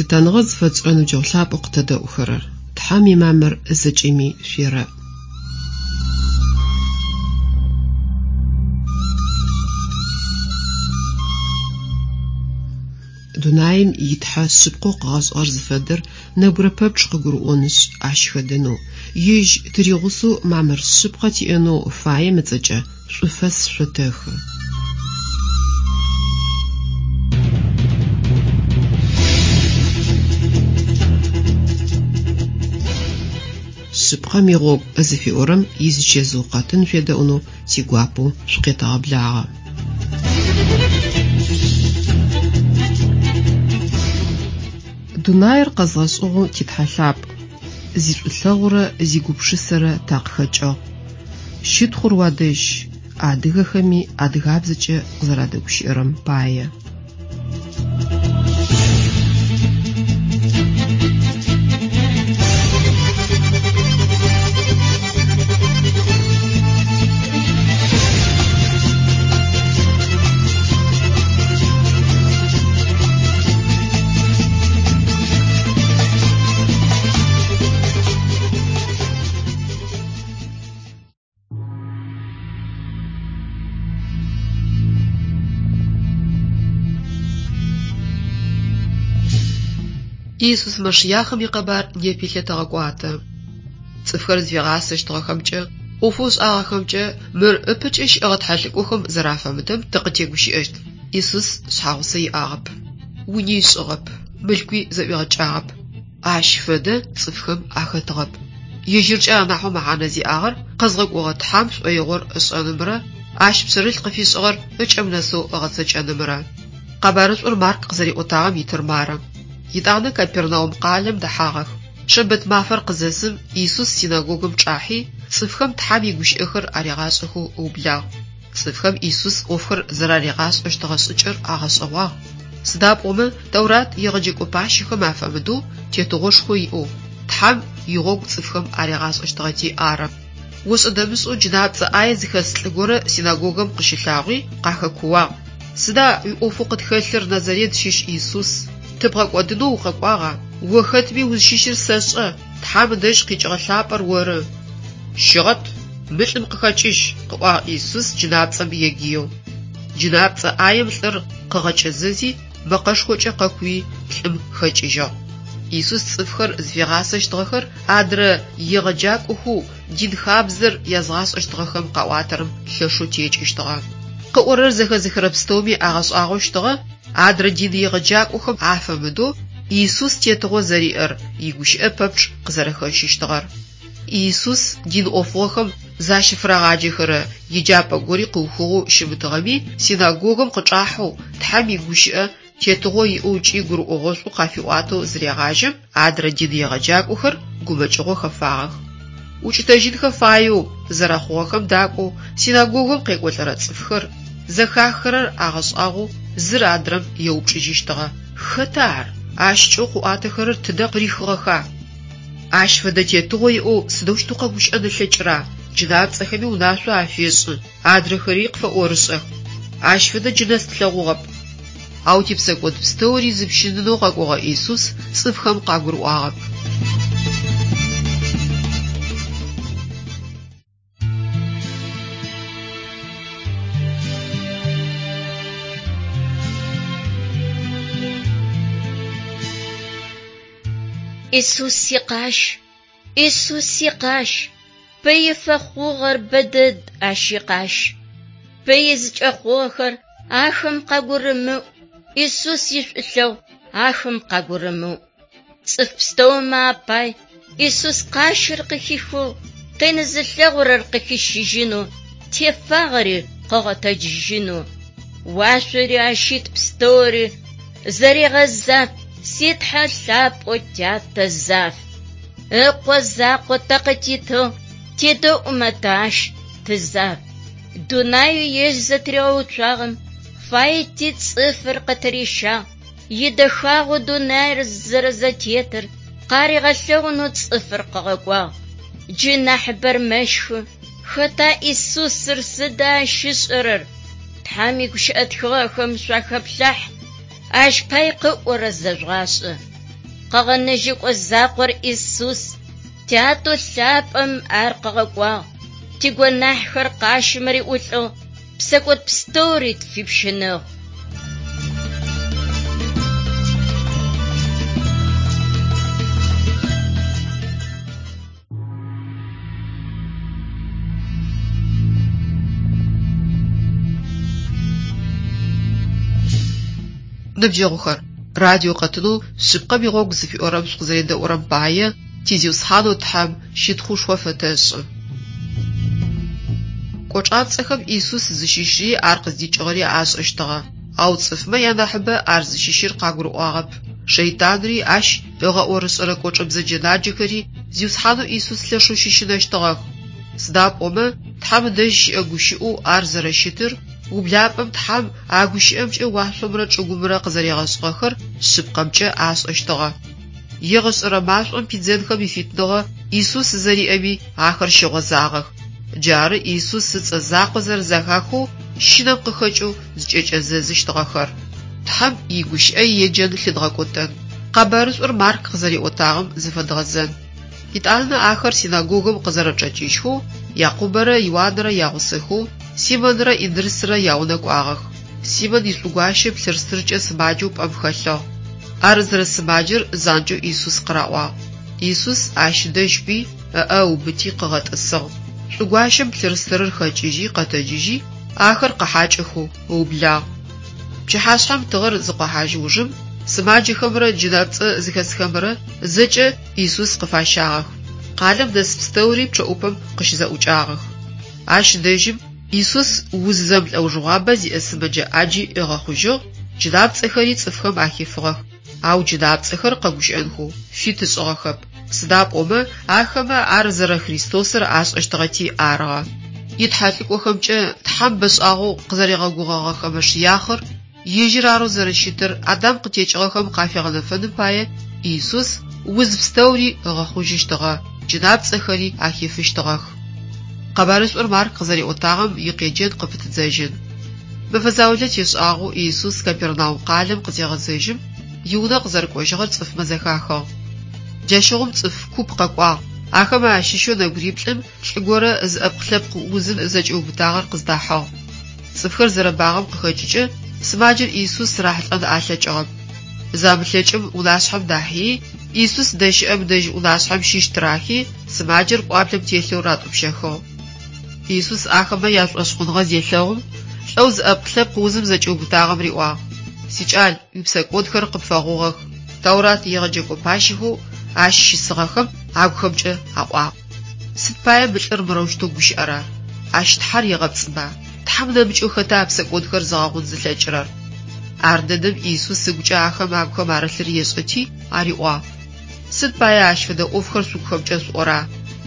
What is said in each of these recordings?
Лъытэныгъэ зыфэтшӏырэ ныбджэгъу лъапӏэу къытэдэӏухэрэр, Тхьэм имамыр зэкӏэми шъуерэӏ. Дунаим и Тхьэ шъыпкъэу къыгъэшӏыгъэр зыфэдэр нэбгырэ пэпчъ къыгурыӏонышъ, ащ хэдэнэу, ежь тыригъусэу мамыр шъыпкъэ тиӏэнэу фаем ыцӏэкӏэ шӏуфэс шъотэхы. Шъыпкъэм игъогу зыфиӏорэм изычэзыу къэтын шъуедэӏунэу тигуапэу шъукъетэгъэблагъэ. Дунаир къэзгъэшӏыгъэу ти Тхьэ лъапӏ, зишӏулъэгъурэ зигупшысэрэ такъыхэкӏыгъ. Щытхъур уадэжь, адыгэхэми адыгабзэкӏэ къызэрадэгущыӏэрэм пае. Иисус Машиахым икъэбар непи лъытэгъэкӏуатэ. Цӏыфхэр зыфигъасэщтыгъэхэмкӏэ, ӏофэу ышӏагъэхэмкӏэ мыр ыпэкӏэ щыӏэгъэ тхьэлӏыкӏохэм зэрафэмыдэм тыкъытегущыӏэщт. Иисус шъхьагъусэ иӏагъэп, уни ышӏыгъэп, мылъкуи зэӏуигъэкӏагъэп. Ащ фэдэ цӏыфхэм ахэтыгъэп. Ежьыркӏэ анахьэу мэхьанэ зиӏагъэр къэзгъэкӏогъэ Тхьэм шӏоигъор ышӏэнымрэ ащ пшъэрылъ къыфишӏыгъэр ыкӏэм нэсэу ыгъэцэкӏэнымрэ. Къэбарышӏур Марк къызэриӏотагъэм итыр мары. Етӏанэ Капернаум къалэм дэхьагъэх. Шэмбэт мафэр къызэсым, Иисус синагогым чӏахьи, цӏыфхэм Тхьэм игущыӏэхэр аригъашӏэхэу ыублагъ. Цӏыфхэм Иисус ӏофхэр зэраригъашӏэщтыгъэ шӏыкӏэр агъэшӏэгъуагъ. Сыда пӏомэ Тэурат егъэджэкӏо пащэхэм афэмыдэу тетыгъошхо иӏэу, Тхьэм игъогу цӏыфхэм аригъашӏэщтыгъэти ары. Ошӏэ-дэмышӏэу джынапцӏэ ӏае зыхэс лӏы горэ синагогэм къыщылъагъуи, къахэкууагъ. Сыда уиӏофэу къытхэлъыр, Назарет щыщ Иисус? Тыбгъэкӏодынэу укъэкӏуагъа? О хэтми узщыщыр сэшӏэ, Тхьэм ыдэжь къикӏыгъэ лъапӏэр оры. Щыгъэт, мы лӏым къыхэкӏыжь, къыӏуагъ Иисус джынапцӏэм егыеу. Джынапцӏэ ӏаем лӏыр къыгъэкӏэзэзи, мэкъэшхокӏэ къэкууи, лӏым хэкӏыжьыгъ. Иисус цӏыфхэр зыфигъасэщтыгъэхэр адрэ егъэджакӏохэу дин хабзэр язгъашӏэщтыгъэхэм къаӏуатэрэм лъэшэу текӏыщтыгъэ. Къыӏорэр зэхэзыхырэ пстэуми агъэшӏагъощтыгъэ, адрэ дин егъэджакӏохэм афэмыдэу Иисус тетыгъо зэриӏэр, игущыӏэ пэпчъ къызэрэхэщыщтыгъэр. Иисус дин ӏофыгъохэм защыфырагъаджэхэрэ еджапӏэ гори къыухыгъэу щымытыгъэми, синагогым къычӏахьэу, Тхьэм игущыӏэ тетыгъо иӏэу ыкӏи гурыӏогъошӏу къафиӏуатэу зырегъажьэм, адрэ дин егъэджакӏохэр гумэкӏыгъо хэфагъэх. Укӏытэжьынхэ фаеу зэрэхъугъэхэм дакӏоу синагогым къекӏолӏэрэ цӏыфхэр, зэхахырэр агъэшӏагъоу зыр адрэм еупчӏыжьыщтыгъэ, Хэта ар? Ащ кӏэу къыӏуатэхэрэр тыдэ къырихыгъэха? Ащ фэдэ тетыгъо иӏэу сыдэущтэу къэгущыӏэн ылъэкӏыра? Джынапцӏэхэми унашъо афешӏы, адрэхэри къыфэӏорышӏэх. Ащ фэдэ джы нэс тлъэгъугъэп. Ау типсэкӏод пстэури зыпщынынэу къэкӏогъэ Иисус цӏыфхэм къагурыӏуагъэп. Исус икъащ, Исус икъащ, Пыи фэхъугъэр бэдэд ащ икъащ. Пыи зыкӏэхъугъэхэр ахэм къагурымыӏу, Исус ишӏулъэгъу ахэм къагурымыӏу. Цӏыф пстэумэ апай Исус къащыр къыхихыгъ, къин зылъэгъурэр къыхищыжьынэу, тефагъэри къыгъэтэджыжьынэу. Уашъори ащ ит пстэури зэрегъэзаф, си Тхьэ лъапӏэу Тятэ заф. Ыкъо закъо тэ къытитыгъ, тедэӏумэ тэ ащ тызаф. Дунаеу ежь зэтыригъэуцуагъэм фаети цӏыфыр къытырищагъ, идэхагъэу дунаир зэрэзэтетыр къаригъэлъэгъунэу цӏыфыр къыгъэкӏуагъ. Джы нахьыбэр мэщхы, хэта Исусыр, сыда ащ ышӏэрэр? Тхьэм игущыӏэ тхыгъэхэм шъуахэплъахь, ащ пай къыӏорэр зэжъугъашӏэ. Къэгъэнэжьэкӏо закъор Исус. Тятэу лъапӏэм ар къыгъэкӏуагъ. Тигонахьхэр къащым риӏулӏыгъ, псэкӏод пстэури тфипщыныгъ. Ныбджэгъухэр, радио къэтынэу Шъыпкъэм игъогу зыфиӏорэм шъукъызэредэӏурэм пае ти Зиусхьанэу Тхьэм щытхъушхо фэтэшӏы. Кӏочӏапцӏэхэм Исус зыщыщри ар къыздикӏыгъэри ашӏэщтыгъэ, ау цӏыфмэ янахьыбэ ар зыщыщыр къагурыӏуагъэп. Шэйтанри ащ ыгъэӏорышӏэрэ кӏочӏэ бзэджэнаджэхэри Зиусхьанэу Исус лъэшэу щыщынэщтыгъэх. Сыда пӏомэ Тхьэм ыдэжь щыӏэ гущыӏэу ар зэрэщытыр, ублапӏэм Тхьэм а гущыӏэмкӏэ уашъомрэ чӏыгумрэ къызэригъэшӏыгъэхэр шъыпкъэмкӏэ ашӏэщтыгъэ. Егъэшӏэрэ машӏом пидзэнхэм ифитныгъэ Исус зэриӏэми ахэр щыгъозагъэх. Джары Исус ыцӏэ закъо зэрэзэхахэу щынэм къыхэкӏэу зыкӏэкӏэзэзыщтыгъэхэр. Тхьэм игущыӏэ иеджэн лъыдгъэкӏотэн. Къэбарышӏур Марк къызэриӏотагъэм зыфэдгъэзэн. Етӏанэ ахэр синагогым къызэрэчӏэкӏыжьхэу, Якъубэрэ Иуанрэ ягъусэхэу Симонрэ Индрысрэ яунэ кӏуагъэх. Симон ишӏугуащэ плъырстыркӏэ сымаджэу пӏэм хэлъыгъ. Ар зэрэсымаджэр занкӏэу Исус къыраӏуагъ. Исус ащ дэжь кӏуи, ыӏэ ыубыти къыгъэтӏысыгъ. Шӏугуащэм плъырстырыр хэкӏыжьи къэтэджыжьи, ахэр къыхьакӏэхэу ыублагъ. Пчыхьашъхьэм тыгъэр зыкъохьажь ужым, сымаджэхэмрэ джынапцӏэ зыхэсхэмрэ зэкӏэ Исус къыфащагъэх. Къалэм дэс пстэури пчъэӏупэм къыщызэӏукӏагъэх. Ащ дэжьым Исус уз зэмылӏэужыгъуабэ зиӏэ сымэджэ ӏаджи ыгъэхъужьыгъ, джынапцӏэхэри цӏыфхэм ахифыгъэх, ау джынапцӏэхэр къэгущыӏэнхэу фит ышӏыгъэхэп, сыда пӏомэ ахэмэ ар зэрэ Христосыр ашӏэщтыгъэти арыгъэ. Итхьэлӏыкӏохэмкӏэ Тхьэм бэшӏагъэу къызэригъэгугъэгъэхэ Мэшыяхъыр ежьыр арэу зэрэщытыр Адам къытекӏыгъэхэм къафигъэнэфэным пае Исус уз пстэури ыгъэхъужьыщтыгъэ, джынапцӏэхэри ахифыщтыгъэх. Къэбарышӏур Марк къызэриӏотагъэм икъеджэн къыпытыдзэжьын. Мэфэ заулэ тешӏагъэу Исус Капернаум къалэм къызегъэзэжьым, иунэ къызэрэкӏожьыгъэр цӏыфмэ зэхахыгъ. Джащыгъум цӏыф куп къэкӏуагъ. Ахэмэ ащыщэу нэбгыриплӏым лӏы горэ зыӏэпкълъэпкъ узым зэкӏиубытагъэр къыздахьыгъ. Цӏыфхэр зэрэбагъэм къыхэкӏыкӏэ сымаджэр Исус рахьылӏэн алъэкӏыгъэп. Замылъэкӏым унашъхьэм дахьи, Исус зыдэщыӏэм дэжь унашъхьэм щыщ тырахи, сымаджэр пӏуаблэм телъэу ратӏупщэхыгъ. Исус ахэмэ яшӏошъхъуныгъэ зелъэгъум, лӏэу зыӏэпкълъэпкъ узым зэкӏиубытагъэм риӏуагъ: Сикӏал, уипсэкӏодхэр къыпфэгъугъэх. Тэурат егъэджэкӏо пащэхэу ащ щысыгъэхэм агухэмкӏэ аӏуагъ: Сыд пае мы лӏыр мырэущтэу гущыӏэра? Ащ Тхьэр егъэпцӏыба? Тхьэм нэмыкӏэу хэта псэкӏодхэр зыгъэгъун зылъэкӏырэр? Ардэдэм Исус ыгукӏэ ахэм агухэм арылъыр ешӏэти, ариӏуагъ: Сыд пае ащ фэдэ ӏофхэр шъугухэмкӏэ шъуӏора?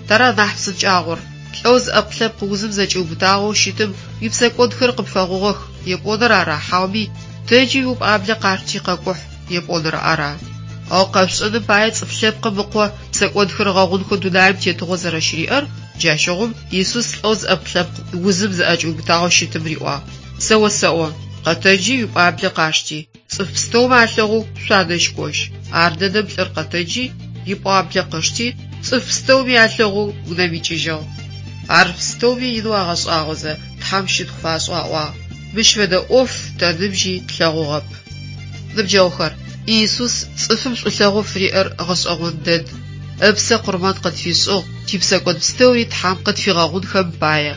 Тара нахь псынкӏагъор? Лӏэу зыӏэпкълъэпкъ узым зэкӏиубытагъэу щытым уипсэкӏодхэр къыпфэгъугъэх епӏоныр ара, хьауми тэджи уипӏуаблэ къашти къэкӏухь епӏоныр ара? Ау къэшъушӏэным пае Цӏыф Лъэпкъым Ыкъо псэкӏодхэр ыгъэгъунхэу дунаим тетыгъо зэрэщыриӏэр, джащыгъум Исус лӏэу зыӏэпкълъэпкъ узым зыӏэкӏиубытагъэу щытым риӏуагъ: Сэ осэӏо, къэтэджи уипӏуаблэ къашти, цӏыф пстэумэ алъэгъоу шъуадэжь кӏожь. Ардэдэм лӏыр къэтэджи, ипӏуаблэ къышти, цӏыф пстэуми алъэгъоу унэм икӏыжьыгъ. Ар пстэуми инэу агъэшӏагъозэ, Тхьэм щытхъу фашӏэу аӏуагъ: Мыщ фэдэ ӏоф тэ ныбжьи тлъэгъугъэп. Ныбджэгъухэр, Иисус цӏыфым шӏулъэгъоу фыриӏэр гъэшӏэгъон дэд. Ыпсэ къурмэн къытфишӏыгъ, типсэкӏод пстэури Тхьэм къытфигъэгъунхэм пае.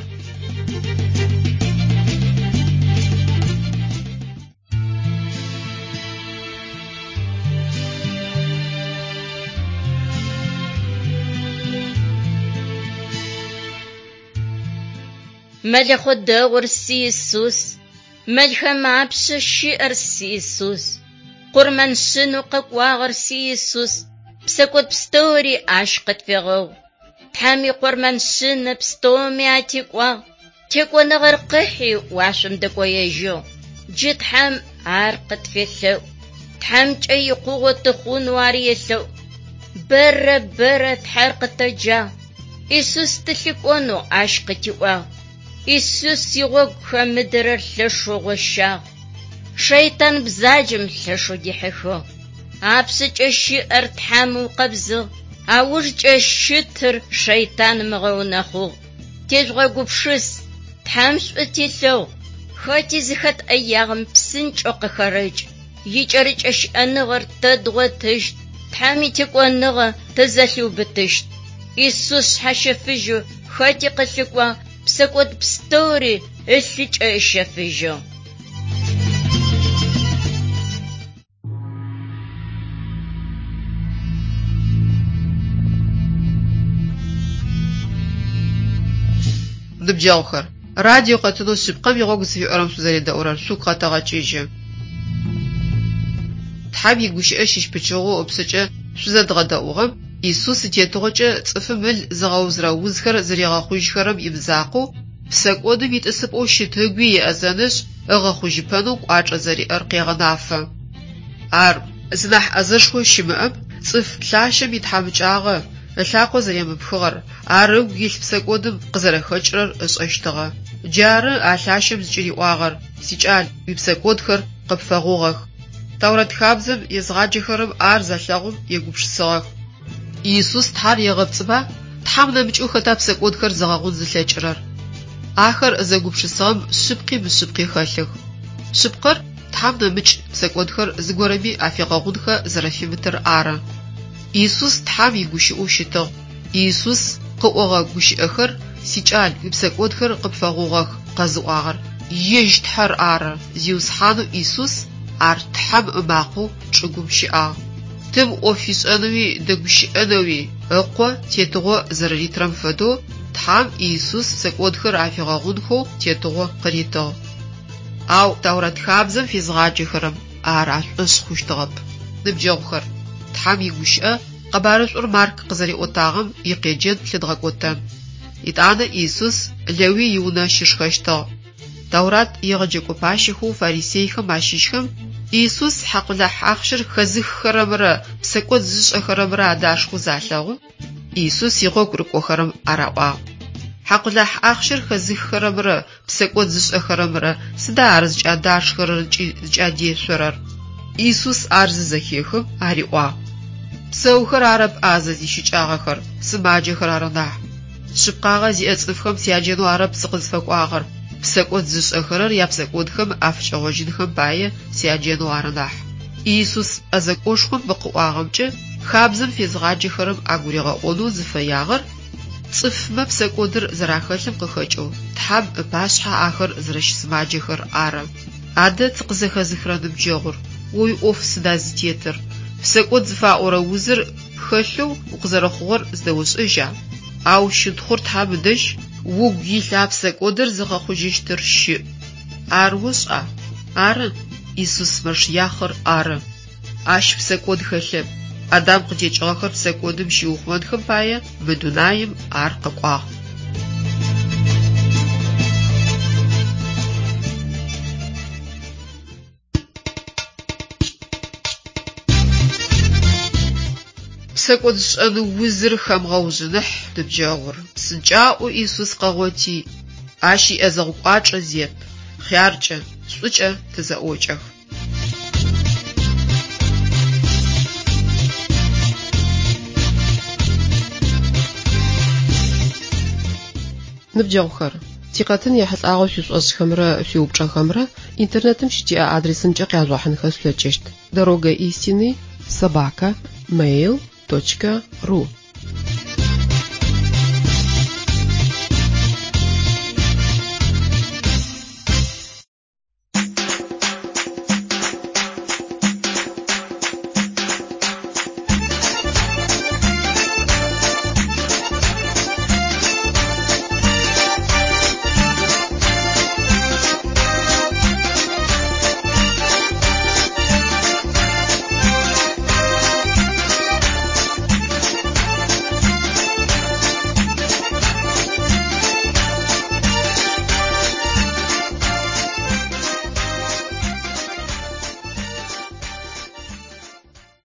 Мэлэхъо дэгъур си Исус, мэлхэм апшъэ щыӏэр си Исус, къурмэн шъынэу къэкӏуагъэр си Исус, псэкӏод пстэури ащ къытфегъэгъу. Тхьэм икъурмэн шъынэ пстэуми атекӏуагъ, текӏоныгъэр къыхьи уашъом дэкӏоежьыгъ. Джы Тхьэм ар къытфелъэӏу, Тхьэмкӏэ икъугъо тыхъунэу ар елъэӏу. Бэрэ бэрэ Тхьэр къытэджагъ, Исус тылъыкӏонэу ащ къытиӏуагъ. Исус игъогу хэмыдэрэр лъэшэу гъощагъ. Шэйтан бзаджэм лъэшэу дихьыхыгъ. Апшъэкӏэ щыӏэр Тхьэм ыукъэбзыгъ, аужкӏэ щытыр шэйтаным ыгъэунэхъугъ. Тежъугъэгупшыс, Тхьэм шӏу телъэгъу, хэти зыхэт ӏэягъэм псынкӏэу къыхэрэкӏ. Икӏэрыкӏэ щыӏэныгъэр тэ дгъотыщт, Тхьэм итекӏоныгъэ тызэлъиубытыщт. Исус шъхьащэфыжьэу хэти къылъыкӏуагъ, псэкӏод пстэури ылъыкӏэ ыщэфыжьыгъ. Ныбджэгъухэр, радио къэтынэу Шъыпкъэм игъогу зыфиӏорэм шъузэредэӏурэр шъугу къэтэгъэкӏыжьы. Тхьэм игущыӏэ щыщ пычыгъоу ыпшъэкӏэ шъузэдгъэдэӏугъэм Исус итетыгъокӏэ цӏыфым ыл зыгъэузырэ узхэр зэригъэхъужьхэрэм имызакъоу, псэкӏодым итӏысыпӏэу щыт ыгуи еӏэзэнышъ, ыгъэхъужьыпэнэу кӏуачӏэ зэриӏэр къегъэнафэ. Ар зынахь ӏэзэшхо щымыӏэм цӏыф лъащэм итхьамыкӏагъэ, ылъакъо зэремыпхыгъэр, ар ыгу илъ псэкӏодым къызэрэхэкӏырэр ышӏэщтыгъэ. Джары а лъащэм зыкӏыриӏуагъэр: «Сикӏал, уипсэкӏодхэр къыпфэгъугъэх». Тэурэт хабзэм езгъаджэхэрэм ар залъэгъум егупшысыгъэх. Иисус Тхьэр егъэпцӏыба? Тхьэм нэмыкӏэу хэта псэкӏодхэр зыгъэгъун зылъэкӏырэр? Ахэр зэгупшысыгъэм шъыпкъи мышъыпкъи хэлъых. Шъыпкъэр Тхьэм нэмыкӏ псэкӏодхэр зыгорэми афигъэгъунхэ зэрэфимытыр ары. Иисус Тхьэм игущыӏэу щытыгъ. Иисус къыӏогъэ гущыӏэхэр, Сикӏал, уипсэкӏодхэр къыпфэгъугъэх, къэзыӏуагъэр Ежь Тхьэр ары, Зиусхьанэу Иисус ар Тхьэм ымакъэу чӏыгум щыӏагъ. Тым ӏоф ишӏэнэуи дэгущыӏэнэуи Ыкъо тетыгъо зэрэритырэм фэдэу, Тхьэм Иисус псэкӏодхэр афигъэгъунхэу тетыгъо къыритыгъ. Ау Тэурэт хабзэм фезгъаджэхэрэм ар ашӏошъ хъущтыгъэп. Ныбджэгъухэр, Тхьэм игущыӏэ Къэбарышӏур Марк къызэриӏотагъэм икъеджэн лъыдгъэкӏотэн. Етӏанэ Иисус Лэуй иунэ щышхэщтыгъ. Тэурат егъэджэкӏо пащэхэу фарисейхэм ащыщхэм Иисус хьакъулахь ахъщэр хэзыххэрэмрэ псэкӏод зышӏэхэрэмрэ адашхэу залъэгъум, Иисус игъогу рыкӏохэрэм араӏуагъ. Хьакъулахь ахъщэр хэзыххэрэмрэ псэкӏод зышӏэхэрэмрэ сыда ар зыкӏадашхэрэр ыкӏи зыкӏадешъорэр? Иисус ар зызэхехым ариӏуагъ. Псэухэр арэп ӏазэ зищыкӏагъэхэр, сымаджэхэр ары нахь. Шъыпкъагъэ зиӏэ цӏыфхэм сяджэнэу арэп сыкъызфэкӏуагъэр, псэкӏод зышӏэхэрэр япсэкӏодхэм афыкӏэгъожьынхэм пае сяджэнэу ары нахь. Иисус ӏэзэкӏошхом мы къыӏуагъэмкӏэ хабзэм фезгъаджэхэрэм агуригъэӏонэу зыфэягъэр цӏыфмэ псэкӏодыр зэрахэлъым къыхэкӏэу Тхьэм ыпашъхьэ ахэр зэрэщысымаджэхэр ары. Адэ тыкъызэхэзыхырэ ныбджэгъур, о уиӏоф сыда зытетыр? Псэкӏод зыфаӏорэ узыр пхэлъэу укъызэрэхъугъэр зыдэошӏэжьа? Ау щытхъур Тхьэм ыдэжь, угу илъ а псэкӏодыр зыгъэхъужьыщтыр щыӏ. Ар ошӏа? Ары, Исус Мэшиахъыр ары. Ащ псэкӏод хэлъэп. Адам къытекӏыгъэхэр псэкӏодым щиухъумэнхэм пае мы дунаим ар къэкӏуагъ. Псэкӏодшӏэн узыр хэмыгъэужъыныхь, ныбджэгъур, псынкӏаӏоу Исус къэгъоти, Ащ иӏэзэгъу кӏуачӏэ зет, хъяркӏэ, шӏукӏэ тызэӏокӏэх. Ныбджэгъухэр, тикъэтын ехьылӏагъэу шъуишӏошӏхэмрэ шъуиупчӏэхэмрэ интернетым щытиӏэ адресымкӏэ къяжъугъэхьынхэ шъулъэкӏыщт: Дорога истины собака mail точка ru.